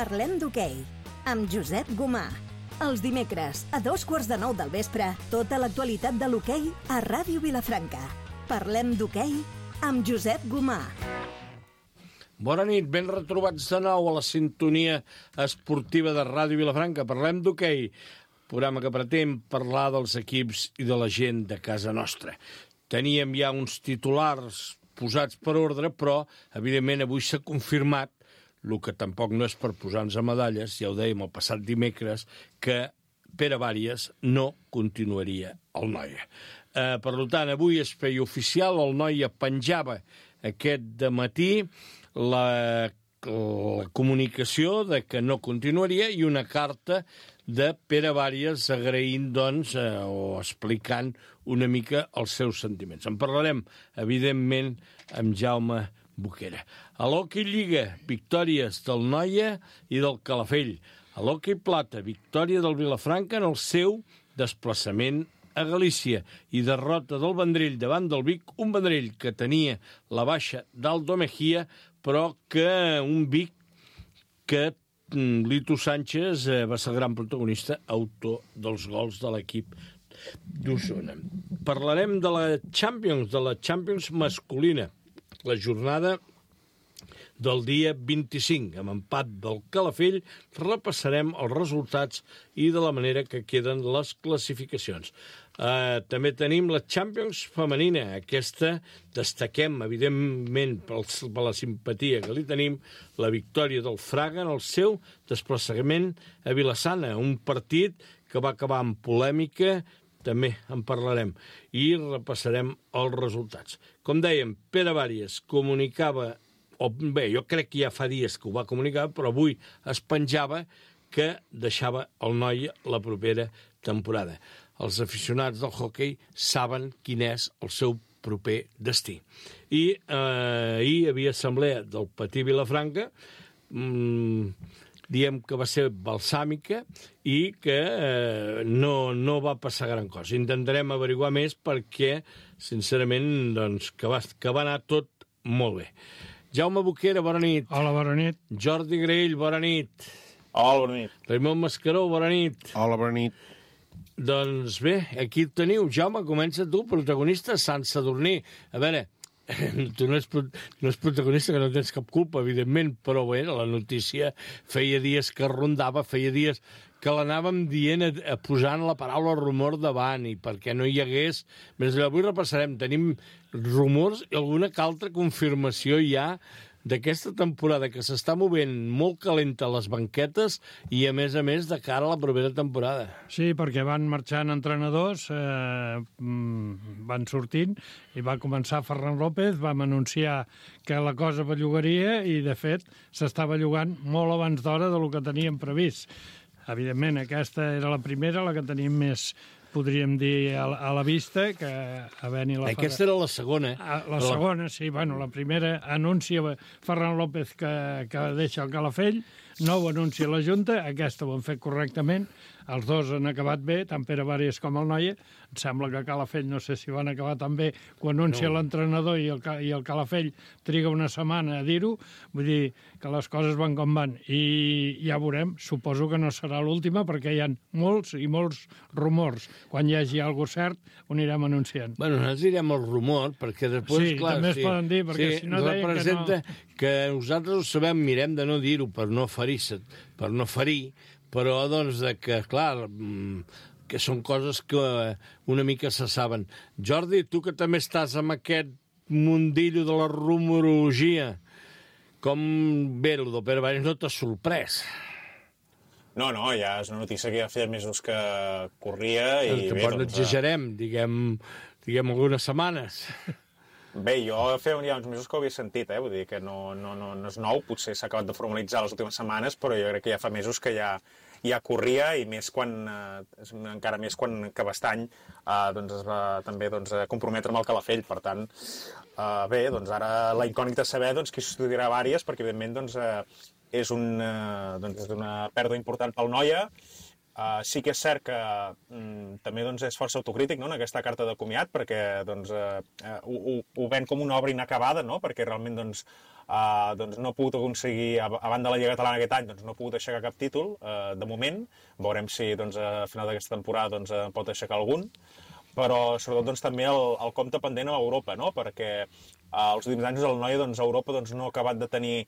Parlem d'hoquei, amb Josep Gomà. Els dimecres, a 9:15 del vespre, tota l'actualitat de l'hoquei a Ràdio Vilafranca. Parlem d'hoquei amb Josep Gomà. Bona nit, ben retrobats de nou a la sintonia esportiva de Ràdio Vilafranca. Parlem d'hoquei, programa que pretén parlar dels equips i de la gent de casa nostra. Teníem ja uns titulars posats per ordre, però, evidentment, avui s'ha confirmat, el que tampoc no és per posar-nos a medalles, ja ho dèiem el passat dimecres, que Pere Bàries no continuaria al Noia. Per tant, avui es feia oficial, el Noia penjava aquest dematí la comunicació de que no continuaria i una carta de Pere Bàries agraint, doncs, o explicant una mica els seus sentiments. En parlarem, evidentment, amb Jaume Boquera. A l'Hockey Lliga, victòries del Noia i del Calafell. A l'Hockey Plata, victòria del Vilafranca en el seu desplaçament a Galícia i derrota del Vendrell davant del Vic, un Vendrell que tenia la baixa d'Aldo Mejía, però que un Vic que Lito Sánchez va ser el gran protagonista, autor dels gols de l'equip d'Osona. Parlarem de la Champions masculina, la jornada del dia 25. Amb empat del Calafell repassarem els resultats i de la manera que queden les classificacions. També tenim la Champions femenina. Aquesta destaquem, evidentment, per la simpatia que li tenim, la victòria del Fraga en el seu desplaçament a Vilassana, un partit que va acabar amb polèmica, també en parlarem, i repassarem els resultats. Com dèiem, Pere Bàries comunicava, jo crec que ja fa dies que ho va comunicar, però avui es penjava que deixava el Noia la propera temporada. Els aficionats del hoquei saben quin és el seu proper destí. I ahir hi havia assemblea del Patí Vilafranca, diem que va ser balsàmica i que no va passar gran cosa. Intentarem averiguar més perquè, sincerament, doncs, que va anar tot molt bé. Jaume Boquera, bona nit. Hola, bona nit. Jordi Graell, bona nit. Hola, bona nit. Raimon Mascaró, bona nit. Hola, bona nit. Doncs bé, aquí el teniu. Jaume, comença tu, protagonista, Sant Sadurní. A veure, tu no és protagonista, que no tens cap culpa, evidentment, però bé, la notícia feia dies que rondava, feia dies que l'anàvem dient, posant la paraula rumor davant, i perquè no hi hagués... Més avui repassarem, tenim rumors i alguna que altra confirmació ja d'aquesta temporada que s'està movent molt calenta a les banquetes i, a més, de cara a la propera temporada. Sí, perquè van marxant entrenadors, van sortint, i va començar Ferran López, vam anunciar que la cosa bellugaria i, de fet, s'estava bellugant molt abans d'hora del que teníem previst. Evidentment, aquesta era la primera, la que teníem més, podríem dir, a la vista, que havent-hi la... Aquesta era la segona. La segona, sí. Bueno, la primera anuncia Ferran López que deixa el Calafell, no ho anuncia la Junta, aquesta ho han fet correctament, els dos han acabat bé, tant Pere Bàries com el Noia. Em sembla que Calafell no sé si van acabar tan bé, que ho anuncia l'entrenador i el Calafell triga una setmana a dir-ho, vull dir que les coses van com van, i ja veurem, suposo que no serà l'última, perquè hi ha molts i molts rumors. Quan hi hagi alguna cosa cert, ho anirem anunciant. Bueno, nosaltres direm el rumor, perquè després, sí, clar... Sí, també es poden dir, perquè si no deien representa que nosaltres ho sabem, mirem de no dir-ho per no ferir, però, doncs, que, clar, que són coses que una mica se saben. Jordi, tu que també estàs amb aquest mundillo de la rumorologia, com ve el de Pere Bàries, no t'ha sorprès? No, ja és una notícia que ja feia mesos que corria i bé, doncs... No exagerem, diguem algunes setmanes. Bé, jo feia ja uns mesos que ho havia sentit, vull dir que no és nou, potser s'ha acabat de formalitzar les últimes setmanes, però jo crec que ja fa mesos que ja corria, i més encara més quan que Bastany es va també comprometre amb el Calafell. Per tant, bé, doncs ara la incògnita és saber qui substituirà Bàries, perquè evidentment és una pèrdua important pel Noia, Sí que és cert que també doncs, és força autocrític, no?, en aquesta carta de comiat, perquè doncs, ho ven com una obra inacabada, no?, perquè realment doncs, no ha pogut aconseguir, a banda de la Lliga Catalana aquest any, doncs, no ha pogut aixecar cap títol, de moment. Veurem si doncs, a final d'aquesta temporada doncs, pot aixecar algun, però sobretot doncs, també el compte pendent a Europa, no?, perquè els últims anys el Noia doncs, a Europa doncs, no ha acabat de tenir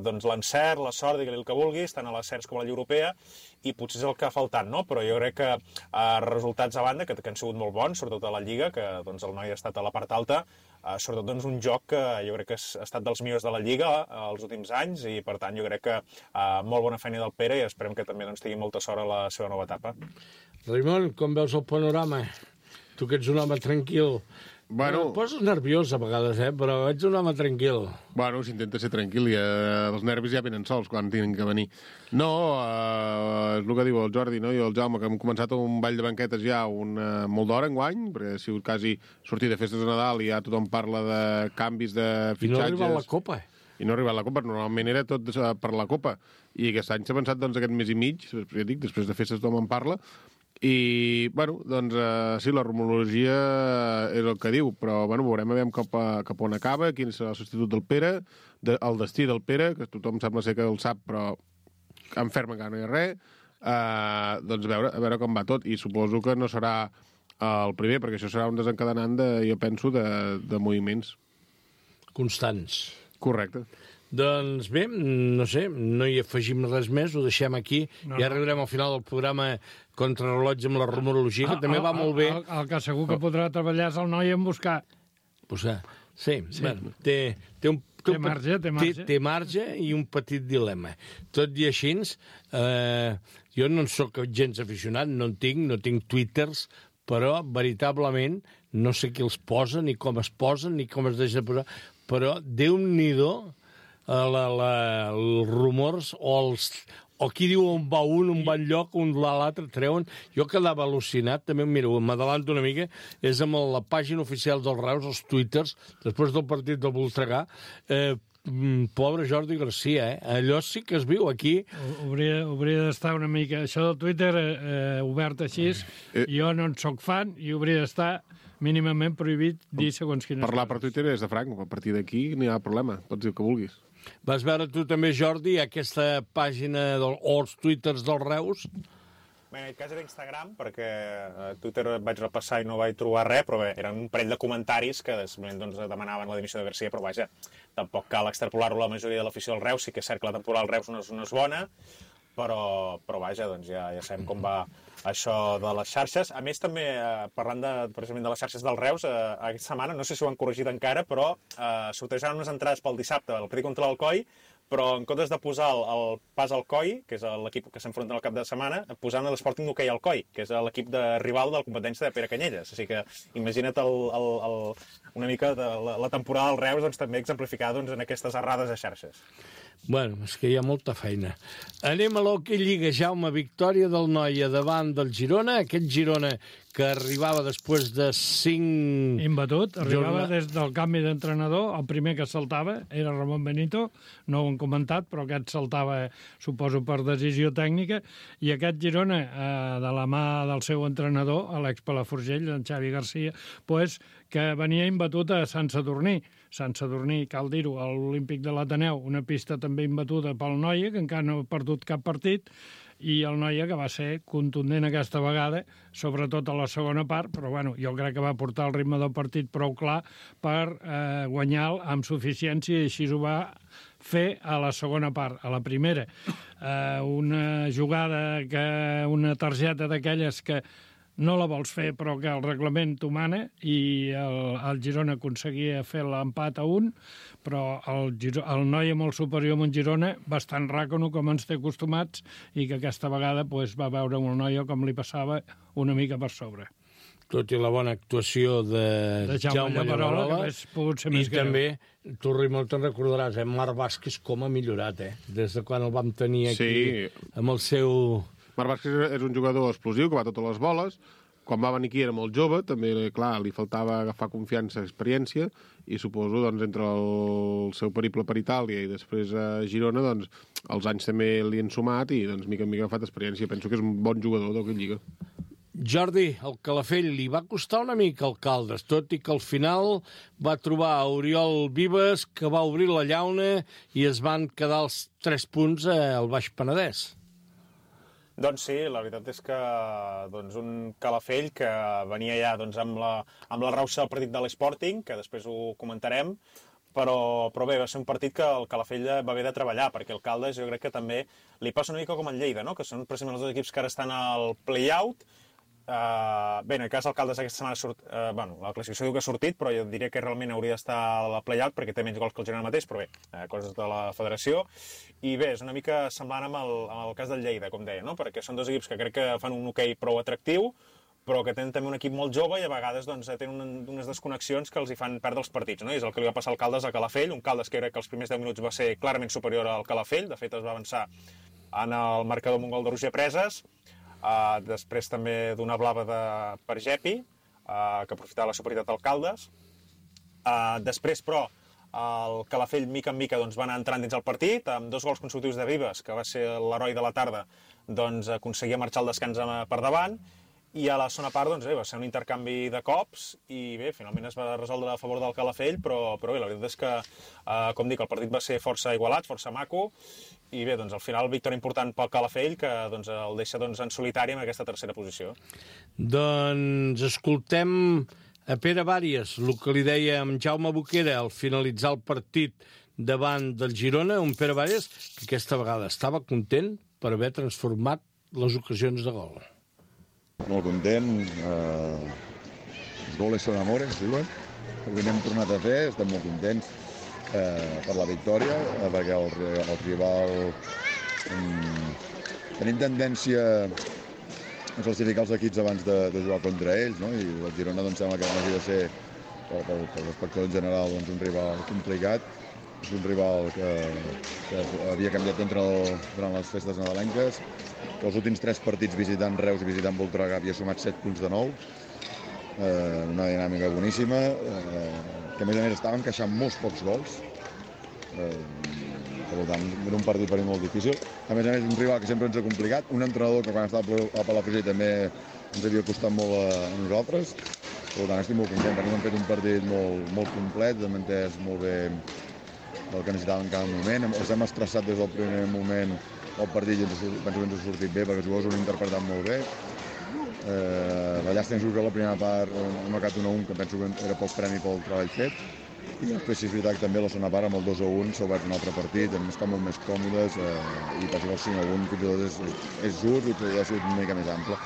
doncs, l'encert, la sort, digue-li el que vulguis, tant a les CERS com a la Lliga Europea, i potser és el que ha faltat, no? Però jo crec que resultats a banda, que han sigut molt bons, sobretot a la Lliga, que doncs, el Noia ha estat a la part alta, sobretot doncs, un joc que jo crec que ha estat dels millors de la Lliga els últims anys, i per tant jo crec que molt bona feina del Pere, i esperem que també doncs, tingui molta sort a la seva nova etapa. Raimon, com veus el panorama? Tu que ets un home tranquil. Em poses nerviós a vegades, però ets un home tranquil. Bueno, s'intenta ser tranquil, i els nervis ja venen sols quan tenen que venir. No, és el que diu el Jordi, no? I el Jaume, que hem començat un ball de banquetes ja molt d'hora enguany, perquè ha sigut quasi sortir de festes de Nadal i ja tothom parla de canvis de fitxatges. I no ha arribat la Copa. I no ha arribat la Copa, normalment era tot per la Copa. I aquest any s'ha pensat doncs, aquest mes i mig, ja dic, després de festes tothom en parla. I, bueno, doncs, sí, la rumorologia és el que diu, però, bueno, veurem cap on acaba, quin serà el substitut del Pere, el destí del Pere, que tothom sembla ser que el sap, però en ferm encara no hi ha res, doncs a veure com va tot, i suposo que no serà el primer, perquè això serà un desencadenant, jo penso, de moviments. Constants. Correcte. Doncs bé, no sé, no hi afegim res més, ho deixem aquí, i ara arribarem al final del programa Contrarrellotge amb la rumorologia, que també va molt bé. El que segur que podrà treballar és el noi en buscar. Sí. Bueno, té marge i un petit dilema. Tot i així, jo no en soc gens aficionat, no tinc twitters, però veritablement no sé qui els posa, ni com es posen, ni com es deixa de posar, però Déu-n'hi-do els rumors o qui diu on va on va enlloc, on l'altre treuen. Jo quedava al·lucinat, també m'adalanto una mica, és amb la pàgina oficial dels Reus, els twitters, després del partit del Voltregà, pobre Jordi Garcia, allò sí que es viu aquí. Hauria d'estar una mica... Això del Twitter obert així, jo no en soc fan i hauria d'estar mínimament prohibit dir segons quines Parlar per Twitter és de franc, a partir d'aquí no hi ha problema, pots dir el que vulguis. Vas veure tu també, Jordi, aquesta pàgina o els twitters dels Reus? Bé, en aquest cas era Instagram, perquè a Twitter vaig repassar i no vaig trobar res, però bé, eren un parell de comentaris que doncs, demanaven la dimissió de Garcia, però vaja, tampoc cal extrapolar-ho a la majoria de l'afició del Reus, sí que és cert que la temporada del Reus no és bona, però vaja, doncs ja sabem com va això de les xarxes. A més, també, parlant precisament de les xarxes del Reus, aquesta setmana, no sé si ho han corregit encara, però sortejaran unes entrades pel dissabte, el partit contra l'Alcoi, però en comptes de posar el Pas Alcoi, que és l'equip que s'enfronta al cap de setmana, posant l'Sporting d'Hoquei Alcoi, que és l'equip de rival de la competència de Pere Canyelles. Així que imagina't una mica de la temporada del Reus doncs, també exemplificada doncs, en aquestes errades de xarxes. Bueno, és que hi ha molta feina. Anem a l'Hoquei Lliga, Jaume, victòria del Noia davant del Girona, aquest Girona que arribava després de 5... Imbatut, arribava des del canvi d'entrenador, el primer que saltava era Ramon Benito, no ho hem comentat, però aquest saltava, suposo, per decisió tècnica, i aquest Girona, de la mà del seu entrenador, Alex Palaforgell, en Xavi Garcia, pues, que venia imbatut a Sant Sadurní. Sant Sadurní, cal dir-ho, a l'Olímpic de l'Ateneu, una pista també imbatuda pel Noia, que encara no ha perdut cap partit, i el Noia que va ser contundent aquesta vegada, sobretot a la segona part, però bueno, jo crec que va portar el ritme del partit prou clar per guanyar amb suficiència, i així ho va fer a la segona part. A la primera, una jugada, una targeta d'aquelles que no la vols fer, però que el reglament t'ho mana, i el Girona aconseguia fer l'empat a 1, però el Noia molt superior amb un Girona, bastant ràcono, com ens té acostumats, i que aquesta vegada va veure un Noia com li passava una mica per sobre. Tot i la bona actuació de Jaume Llaverola, que hauria pogut ser més greu. I també, tu, Raimon, te'n recordaràs, Marc Vázquez com ha millorat, des de quan el vam tenir aquí, amb el seu... Marc Vázquez és un jugador explosiu que va a totes les boles. quan va venir aquí era molt jove, també, clar, li faltava agafar confiança, experiència, i suposo, doncs, entre el seu periple per Itàlia i després a Girona, doncs, els anys també li han sumat i, doncs, mica en mica ha agafat experiència. Penso que és un bon jugador d'Hockey Lliga. Jordi, el Calafell li va costar una mica al Caldes, tot i que al final va trobar a Oriol Vives, que va obrir la llauna i es van quedar els 3 punts al Baix Penedès. Doncs sí, la veritat és que un Calafell que venia ja amb la rauxa del partit de l'Sporting, que després ho comentarem, però bé, va ser un partit que el Calafell va haver de treballar, perquè el Caldes jo crec que també li passa una mica com el Lleida, no? Que són precisament els dos equips que ara estan al play-out. Bé, en el cas del Caldes aquesta setmana la classificació diu que ha sortit, però jo diria que realment hauria d'estar a la play-out perquè té menys gols que el Girona mateix, però bé, coses de la federació. I bé, és una mica semblant amb el cas del Lleida, com deia, no? Perquè són dos equips que crec que fan un hoquei prou atractiu, però que tenen també un equip molt jove i a vegades tenen unes desconnexions que els hi fan perdre els partits, no? I és el que li va passar al Caldes a Calafell, un Caldes que crec que els primers 10 minuts va ser clarament superior al Calafell, de fet es va avançar en el marcador amb un gol de Roger Preses, després també d'una blava per Gepi, que aprofitava la superioritat del Caldes. Després, però, el Calafell, mica en mica, va anar entrant dins el partit, amb 2 gols consecutius de Vives, que va ser l'heroi de la tarda, aconseguia marxar al descans per davant, i a la segona part va ser un intercanvi de cops i bé, finalment es va resoldre a favor del Calafell, però bé, la veritat és que, com dic, el partit va ser força igualat, força maco, i bé, al final victòria important pel Calafell, que el deixa en solitari en aquesta tercera posició. Doncs escoltem a Pere Vàries, el que li deia amb Jaume Boquera al finalitzar el partit davant del Girona, un Pere Vàries que aquesta vegada estava content per haver transformat les ocasions de gol. Molt content, els goles són amores, diuen, perquè n'hem tornat a fer, estem molt contents per la victòria, perquè el rival tenim tendència a classificar els equips abans de jugar contra ells, no? I el Girona sembla que hagi de ser, per l'espectador en general, un rival complicat. És un rival que havia canviat d'entrenador durant les festes nadalenques, que els últims 3 partits visitant Reus i visitant Voltregà havia sumat 7 punts de 9, una dinàmica boníssima, que a més estaven encaixant molts pocs gols, per tant era un partit per mi molt difícil. A més, un rival que sempre ens ha complicat, un entrenador que quan estava a Palafrugell també ens havia costat molt a nosaltres, per tant estic molt content, perquè hem fet un partit molt complet, hem entès molt bé el que necessitàvem en cada moment. Els hem estressat des del primer moment el partit i penso que ens ha sortit bé perquè els jugadors ho han interpretat molt bé. La llàstima és que la primera part hem marcat 1-1, que penso que era poc premi pel treball fet. I després, si és veritat que també la segona part amb el 2-1 s'ha obert un altre partit, hem estat molt més còmodes i penso que el 5-1 fins i tot és just i podria ser una mica més ample.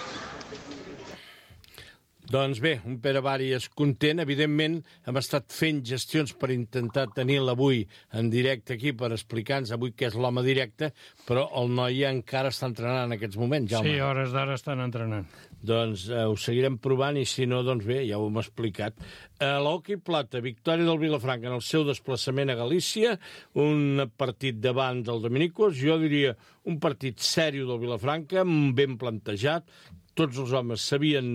Doncs bé, un Pere Vàries content. Evidentment, hem estat fent gestions per intentar tenir-la avui en directe aquí per explicar-nos avui què és l'home directe, però el noi encara està entrenant en aquests moments, Jaume. Sí, hores d'ara estan entrenant. Doncs ho seguirem provant i si no, doncs bé, ja ho hem explicat. L'hoquei plata, victòria del Vilafranca en el seu desplaçament a Galícia, un partit davant del Dominicos, jo diria un partit sèrio del Vilafranca, ben plantejat, tots els homes sabien,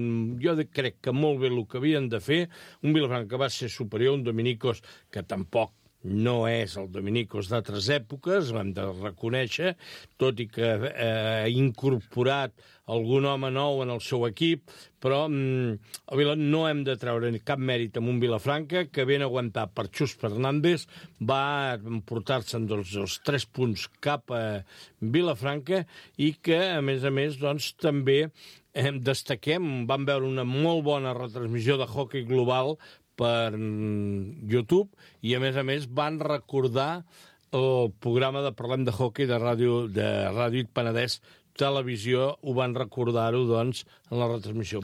jo crec que molt bé el que havien de fer, un Vilafranca que va ser superior, un Dominicos que tampoc no és el Dominicos d'altres èpoques, l'hem de reconèixer, tot i que ha incorporat algun home nou en el seu equip, però no hem de treure cap mèrit amb un Vilafranca que ben aguantat per Xus Fernández va portar-se'n els 3 punts cap a Vilafranca i que, a més, doncs, també destaquem, vam veure una molt bona retransmissió de hoquei global per YouTube i, a més, van recordar el programa de Parlem de Hockey de Ràdio Penedès Televisió, ho van recordar-ho, doncs, en la retransmissió.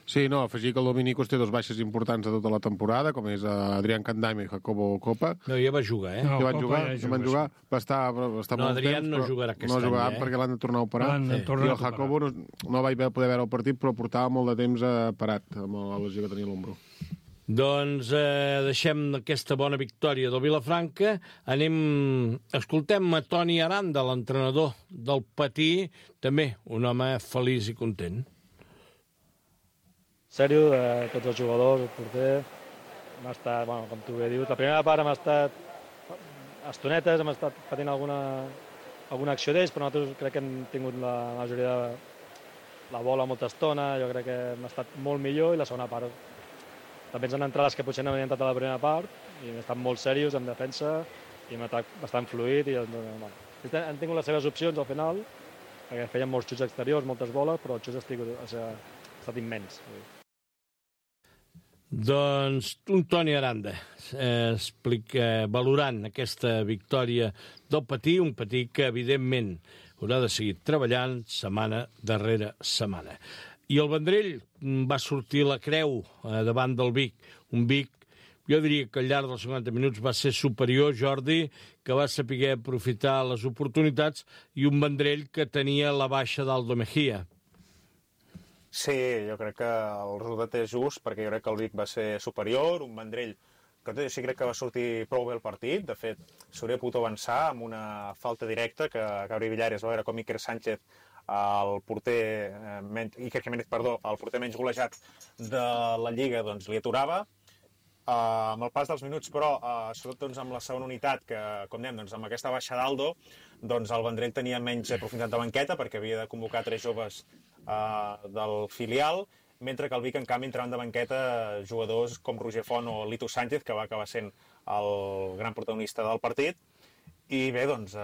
Sí, no, afegir que el Dominicos té 2 baixes importants de tota la temporada, com és Adrián Candaime i Jacobo Copa. No, ja va jugar, No, ja van jugar. Va estar molt Adrián temps, no jugarà aquest any, no jugarà perquè l'han de tornar a operar. I el Jacobo no vaig poder veure el partit, però portava molt de temps parat amb la lesió que tenia a l'ombro. Doncs deixem aquesta bona victòria del Vilafranca. Escoltem a Toni Aranda, l'entrenador del Patí, també un home feliç i content. sèrio de tots els jugadors, el porter. Hem estat, bueno, com tu bé dius, la primera part hem estat estonetes, hem estat patint alguna acció d'ells, però nosaltres crec que hem tingut la majoria de la bola molta estona, jo crec que hem estat molt millor i la segona part també ens han entrat les que potser no havien entrat a la primera part i hem estat molt serios en defensa i hem atac bastant fluid i bueno, han tingut les seves opcions al final perquè feien molts xuts exteriors, moltes boles, però el xut ha estat immens. Doncs un Toni Aranda explica, valorant aquesta victòria del Patí, un Patí que evidentment haurà de seguir treballant setmana darrere setmana. I el Vendrell va sortir la creu davant del Vic, un Vic, jo diria que al llarg dels 50 minuts va ser superior, Jordi, que va saber aprofitar les oportunitats, i un Vendrell que tenia la baixa d'Aldo Mejía. Sí, jo crec que el resultat és just, perquè jo crec que el Vic va ser superior, un Vendrell que tot i així crec que va sortir prou bé el partit. De fet, s'hauria pogut avançar amb una falta directa que Gabriel Villares va veure com Iker Sánchez, el porter menys golejat de la Lliga, doncs li aturava. Amb el pas dels minuts, però, sobretot doncs, amb la segona unitat, que, com dèiem, doncs, amb aquesta baixa d'Aldo, doncs, el Vendrell tenia menys profunditat de banqueta, perquè havia de convocar 3 joves del filial, mentre que el Vic, en canvi, entraven de banqueta jugadors com Roger Font o Lito Sánchez, que va acabar sent el gran protagonista del partit. I bé, doncs,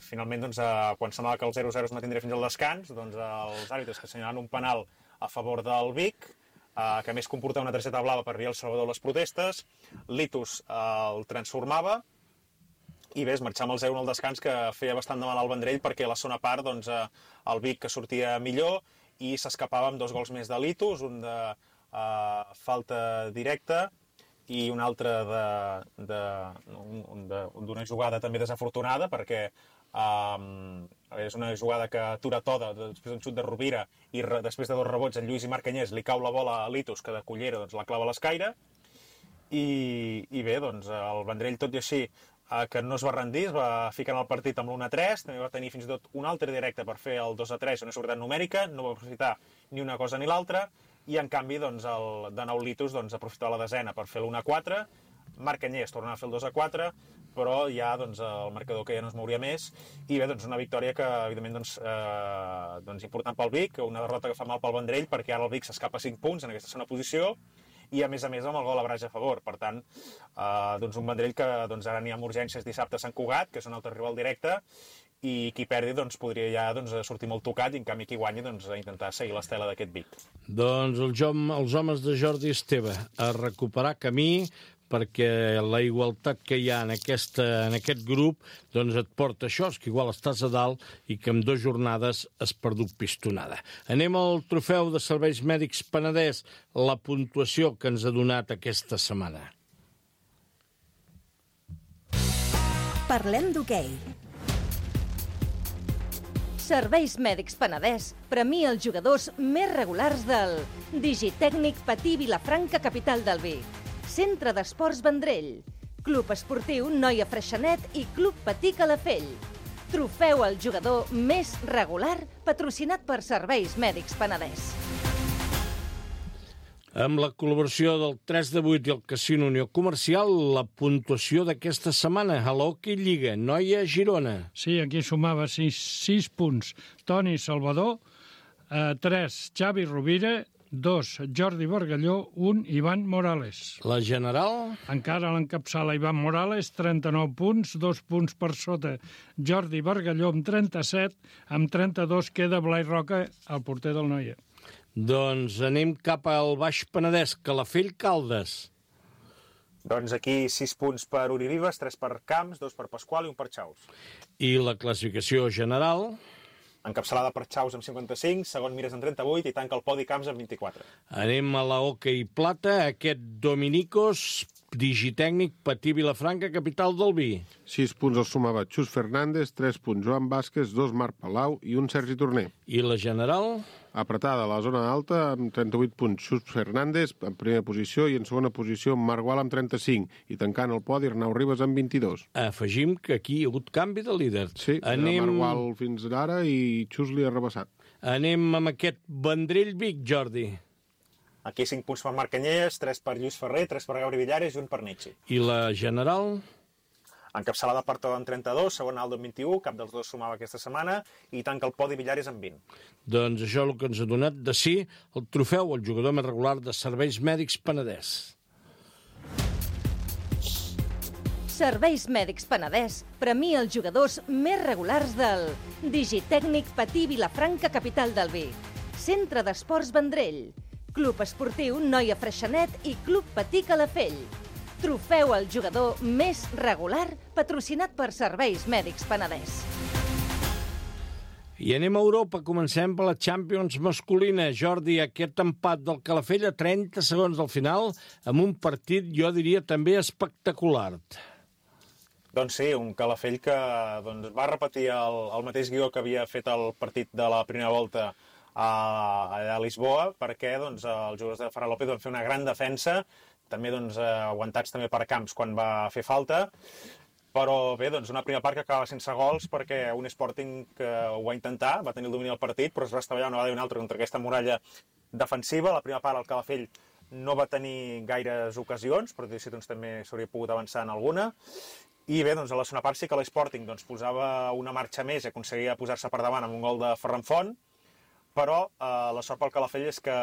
finalment, doncs, quan semblava que el 0-0 es mantindria fins al descans, doncs, els àrbitres que assenyalaven un penal a favor del Vic, que a més comportava una targeta blava per Riel Salvador les protestes, Litus el transformava, i bé, es marxava amb el 0-1 al descans, que feia bastant de mal al Vendrell, perquè a la segona part, doncs, el Vic que sortia millor, i s'escapava amb 2 gols més de Litus, un de falta directa, i un altre d'una jugada també desafortunada, perquè és una jugada que atura Toda després d'un xut de Rovira i després de 2 rebots en Lluís i Marc Anyés li cau la bola a Litus, que de cullera doncs, la clava a l'escaire, i bé, doncs el Vendrell, tot i així, que no es va rendir, es va ficar en el partit amb l'1-3, també va tenir fins i tot un altre directe per fer el 2-3, una seguretat numèrica, no va aprofitar ni una cosa ni l'altra, i en canvi, doncs, de nou Litus doncs, aprofitava la desena per fer l'1-4, Marc Anyés tornava a fer el 2-4, però ja doncs, el marcador que ja no es mouria més, i bé, doncs, una victòria que, evidentment, doncs, important pel Vic, una derrota que fa mal pel Vendrell, perquè ara el Vic s'escapa 5 punts en aquesta segona posició, i a més amb el gol a Braga a favor. Per tant, doncs, un Vendrell que doncs, ara n'hi ha amb urgències dissabte a Sant Cugat, que és un altre rival directe, i qui perdi doncs, podria ja doncs, sortir molt tocat, i en canvi qui guanyi doncs, a intentar seguir l'estela d'aquest Vic. Doncs els homes de Jordi Esteve a recuperar camí, perquè la igualtat que hi ha en aquest grup doncs et porta això, que igual estàs a dalt i que en 2 jornades has perdut pistonada. Anem al trofeu de Serveis Mèdics Penedès, la puntuació que ens ha donat aquesta setmana. Parlem d'hoquei. Serveis Mèdics Penedès premia els jugadors més regulars del Digitècnic Patí Vilafranca, capital del Vic, Centre d'Esports Vendrell, Club Esportiu Noia Freixenet i Club Patí Calafell. Trofeu al jugador més regular patrocinat per Serveis Mèdics Penedès. Amb la col·laboració del 3 de 8 i el Casino Unió Comercial, la puntuació d'aquesta setmana a l'Hockey Lliga, Noia Girona. Sí, aquí sumava 6 punts. Toni Salvador, 3 Xavi Rovira, 2 Jordi Bargalló, 1 Ivan Morales. La general? Encara l'encapçala Ivan Morales, 39 punts, 2 punts per sota Jordi Bargalló amb 37, amb 32 queda Blai Roca, el porter del Noia. Doncs anem cap al Baix Penedès, Calafell, Caldes. Doncs aquí 6 punts per Uri Vives, 3 per Camps, 2 per Pasqual i 1 per Xaus. I la classificació general? Encapçalada per Xaus amb 55, segon Mires amb 38 i tanca el podi Camps amb 24. Anem a la Hockey Plata, aquest Dominicos, Digitècnic Patí Vilafranca, capital del Vi. 6 punts els sumava Xus Fernández, 3 punts Joan Vázquez, 2 Marc Palau i 1 Sergi Torner. I la general? Apretada a la zona alta amb 38 punts Xus Fernández en primera posició i en segona posició Marc Gual amb 35 i tancant el podi Arnau Ribas amb 22. Afegim que aquí hi ha hagut canvi de líder. Sí, Marc Gual fins ara i Xus li ha rebassat. Anem amb aquest Vendrell Vic, Jordi. Aquí 5 punts per Marc Canyelles, 3 per Lluís Ferrer, 3 per Gabri Villares i 1 per Nietzsche. I la general? Encapçalada per Toda amb 32, segon Aldo amb 21, cap dels dos sumava aquesta setmana, i tanca el podi Villares amb 20. Doncs això és el que ens ha donat de sí el trofeu al jugador més regular de Serveis Mèdics Penedès. Serveis Mèdics Penedès premia els jugadors més regulars del Digitècnic Patí Vilafranca, capital del Vi, Centre d'Esports Vendrell, Club Esportiu Noia Freixenet i Club Patí Calafell. Trofeu al jugador més regular patrocinat per Serveis Mèdics Penedès. I anem a Europa, comencem per la Champions masculina. Jordi, aquest empat del Calafell a 30 segons del final, amb un partit, jo diria, també espectacular. Doncs sí, un Calafell que va repetir el mateix guió que havia fet el partit de la primera volta a Lisboa, perquè els jugadors de Ferran López van fer una gran defensa, també aguantats també per Camps quan va fer falta, però bé, una primera part que acaba sense gols perquè un Sporting que ho va intentar, va tenir el domini del partit, però es va estavellar una vegada i una altra contra aquesta muralla defensiva. La primera part el Calafell no va tenir gaires ocasions, però també s'hauria pogut avançar en alguna. I bé, a la segona part sí que l'Sporting posava una marxa més i aconseguia posar-se per davant amb un gol de Ferran Font, però la sort pel Calafell és que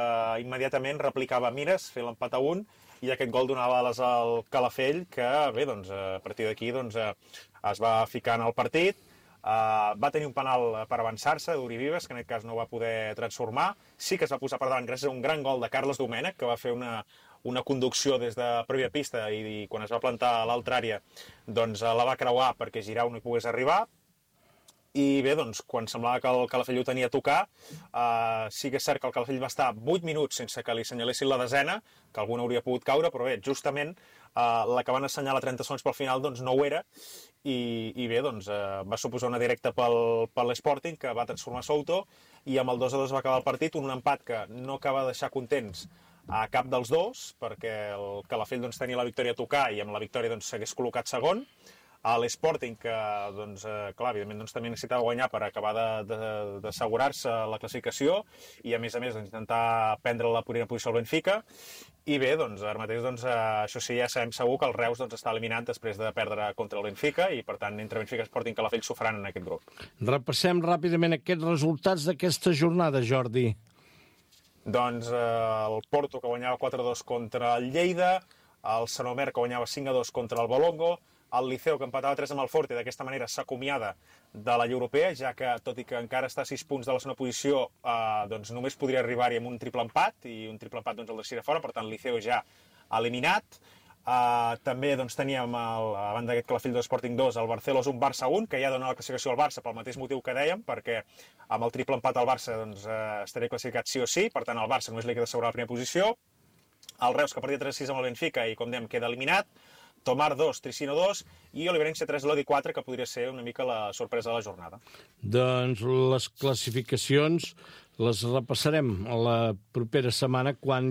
immediatament replicava mires, fer l'empat a 1, i aquest gol donava ales al Calafell, que bé, a partir d'aquí es va ficar en el partit. Va tenir un penal per avançar-se d'Uri Vives, que en aquest cas no va poder transformar. Sí que es va posar per davant gràcies a un gran gol de Carles Domènech, que va fer una conducció des de pròpia pista i quan es va plantar a l'altra àrea la va creuar perquè Giroud no hi pogués arribar. I bé, quan semblava que el Calafell ho tenia a tocar, sí que és cert que el Calafell va estar 8 minuts sense que li assenyalessin la desena, que alguna hauria pogut caure, però bé, justament la que van assenyalar 30 segons pel final no ho era, i bé, va suposar una directa per l'Sporting, que va transformar Souto, i amb el 2-2 va acabar el partit, un empat que no acaba de deixar contents a cap dels dos, perquè el Calafell tenia la victòria a tocar i amb la victòria s'hagués col·locat segon. A l'Sporting, que clar, evidentment també necessitava guanyar per acabar d'assegurar-se la classificació i a més intentar prendre la primera posició al Benfica. I bé, ara mateix això sí, ja sabem segur que el Reus està eliminat després de perdre contra el Benfica i per tant entre Benfica i Sporting Calafell s'ho faran en aquest grup. Repassem ràpidament aquests resultats d'aquesta jornada, Jordi. El Porto, que guanyava 4-2 contra el Lleida, el Sant Omer, que guanyava 5-2 contra el Bolongo, el Liceu, que empatava 3 amb el Forte, d'aquesta manera s'acomiada de la Lliga Europea, ja que, tot i que encara està a 6 punts de la segona posició, només podria arribar-hi amb un triple empat, i un triple empat el deixaria fora, per tant, el Liceu ja eliminat. També teníem, a banda d'aquest Calafell 2, Sporting 2, el Barcelos 1, Barça 1, que ja dona la classificació al Barça pel mateix motiu que dèiem, perquè amb el triple empat al Barça estaria classificat sí o sí, per tant, el Barça només li queda assegurar la primera posició. El Reus, que perdia 3-6 amb el Benfica i, com dèiem, queda eliminat. Tomar 2, Tricino 2 i Oliverense 3, Lodi 4, que podria ser una mica la sorpresa de la jornada. Doncs les classificacions les repassarem la propera setmana quan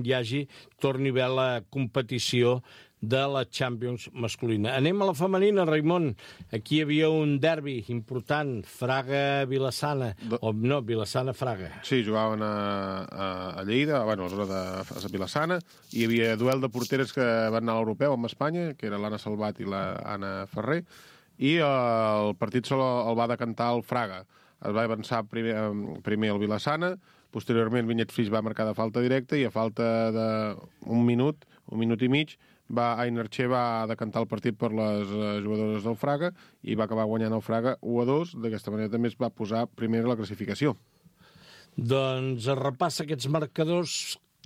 torni a haver la competició de la Champions masculina. Anem a la femenina, Raimon. Aquí hi havia un derbi important, Fraga-Vilassana, no, Vilassana-Fraga. Sí, jugaven a Lleida, a la zona de Vilassana, i hi havia duel de porteres que van anar a l'Europeu amb Espanya, que era l'Anna Salvat i l'Anna Ferrer, i el partit sol el va decantar el Fraga. Es va avançar primer el Vilassana, posteriorment Vinyet Flix va marcar de falta directa i a falta d'un minut i mig, Ainerche va decantar el partit per les jugadores del Fraga i va acabar guanyant el Fraga 1-2. D'aquesta manera també es va posar primer a la classificació. Doncs es repassa aquests marcadors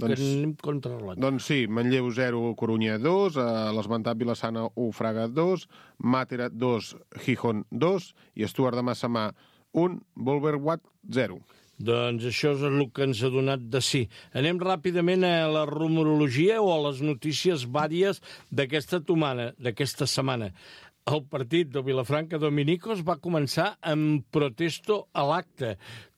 que anem controlant. Doncs sí, Manlleu 0, Corunya 2, l'esmentat Vilassana 1, Fraga 2, Màtera 2, Gijón 2 i Stuart de Massamà 1, Bolverwatt 0. Doncs això és el que ens ha donat de sí. Anem ràpidament a la rumorologia o a les notícies vàries d'aquesta setmana. El partit de Vilafranca Dominicos va començar amb protesto a l'acte.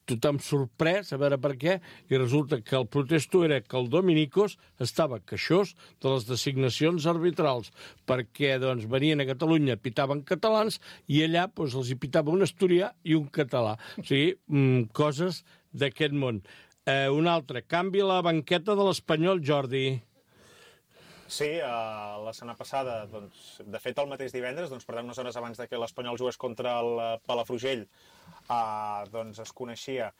Tothom sorprès, a veure per què, i resulta que el protesto era que el Dominicos estava queixós de les designacions arbitrals, perquè venien a Catalunya, pitaven catalans, i allà els hi pitava un asturià i un català. O sigui, coses d'aquest món. Un altre, canvi a la banqueta de l'Espanyol, Jordi. Sí, la setmana passada, doncs, de fet el mateix divendres, doncs, per tant, unes hores abans de que l'Espanyol jugués contra el Palafrugell, doncs es coneixia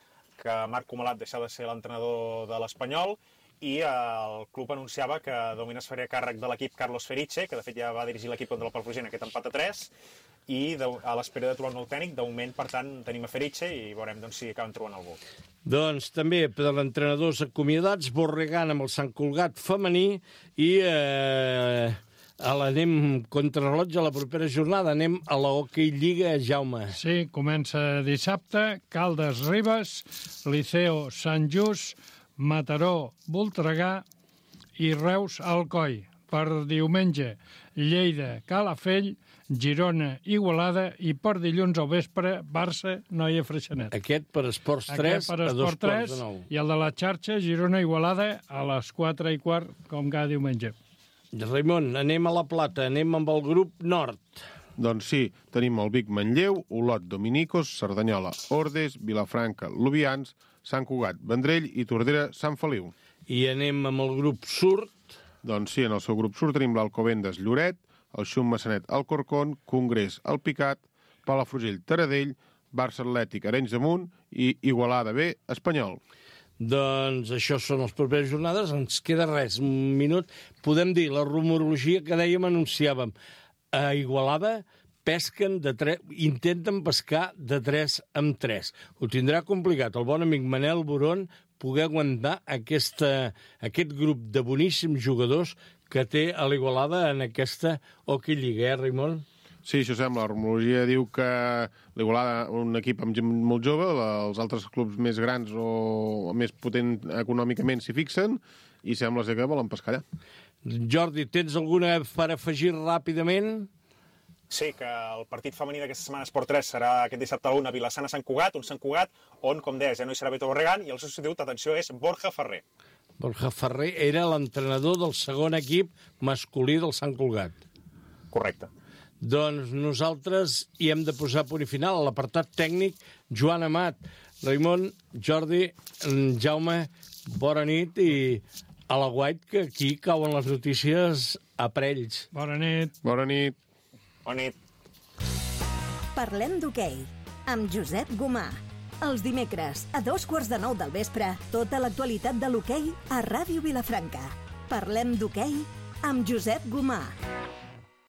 que Marc Comalat deixava de ser l'entrenador de l'Espanyol i el club anunciava que de moment es faria càrrec de l'equip Carlos Feriche, que de fet ja va dirigir l'equip contra el Palafrugell en aquest empat a 3, i a l'espera de trobar un nou tècnic, de moment, per tant, tenim a Feriche i veurem doncs, si acaben trobant algú. Doncs també per entrenadors acomiadats, Borregan amb el Sant Cugat femení i anem contrarrellotge a la propera jornada, anem a la Hockey Lliga, Jaume. Sí, comença dissabte, Caldes Ribes, Liceo Sant Just, Mataró Voltregà i Reus Alcoi. Per diumenge, Lleida Calafell, Girona Igualada i per dilluns al vespre, Barça Noia Freixenet. Aquest per Esports 3 a 2:15. I el de la xarxa, Girona Igualada a les 4:15, com cada diumenge. Raimon, anem a la Plata, anem amb el grup Nord. Doncs sí, tenim el Vic Manlleu, Olot Dominicos, Cerdanyola Ordes, Vilafranca Lubians, Sant Cugat Vendrell i Tordera Sant Feliu. I anem amb el grup Surt. Doncs sí, en el seu grup Surt tenim l'Alcobendas Lloret, el Xum Massanet Alcorcón, Congrés Alpicat, Palafrugell Taradell, Barça Atlètic Arenys de Munt i Igualada B Espanyol. Doncs això són les properes jornades. Ens queda res, un minut. Podem dir la rumorologia que dèiem, anunciàvem. A Igualada pesquen intenten pescar de 3 en 3. Ho tindrà complicat el bon amic Manel Boron poder aguantar aquest grup de boníssims jugadors que té a l'Igualada en aquesta Hockey Lliga, Raimon? Sí, això sembla. La rumorologia diu que l'Igualada, un equip amb gent molt jove, els altres clubs més grans o més potent econòmicament s'hi fixen i sembla ser que volen pescar allà. Jordi, tens alguna per afegir ràpidament? Sí, que el partit femení d'aquesta setmana Esport 3 serà aquest dissabte a la 1 a Vilassana-Sant Cugat, un Sant Cugat on, com deies, ja no hi serà Beto Borregan i el substitut, atenció, és Borja Ferrer. Borja Ferrer era l'entrenador del segon equip masculí del Sant Cugat. Correcte. Doncs nosaltres hi hem de posar punt i final. A l'apartat tècnic, Joan Amat, Raimon, Jordi, Jaume, bona nit i a la guait que aquí cauen les notícies a parells. Bona nit. Bona nit. Bona nit. Parlem d'hoquei amb Josep Gomà. Els dimecres, a 8:45 del vespre, tota l'actualitat de l'hoquei a Ràdio Vilafranca. Parlem d'hoquei amb Josep Gomà.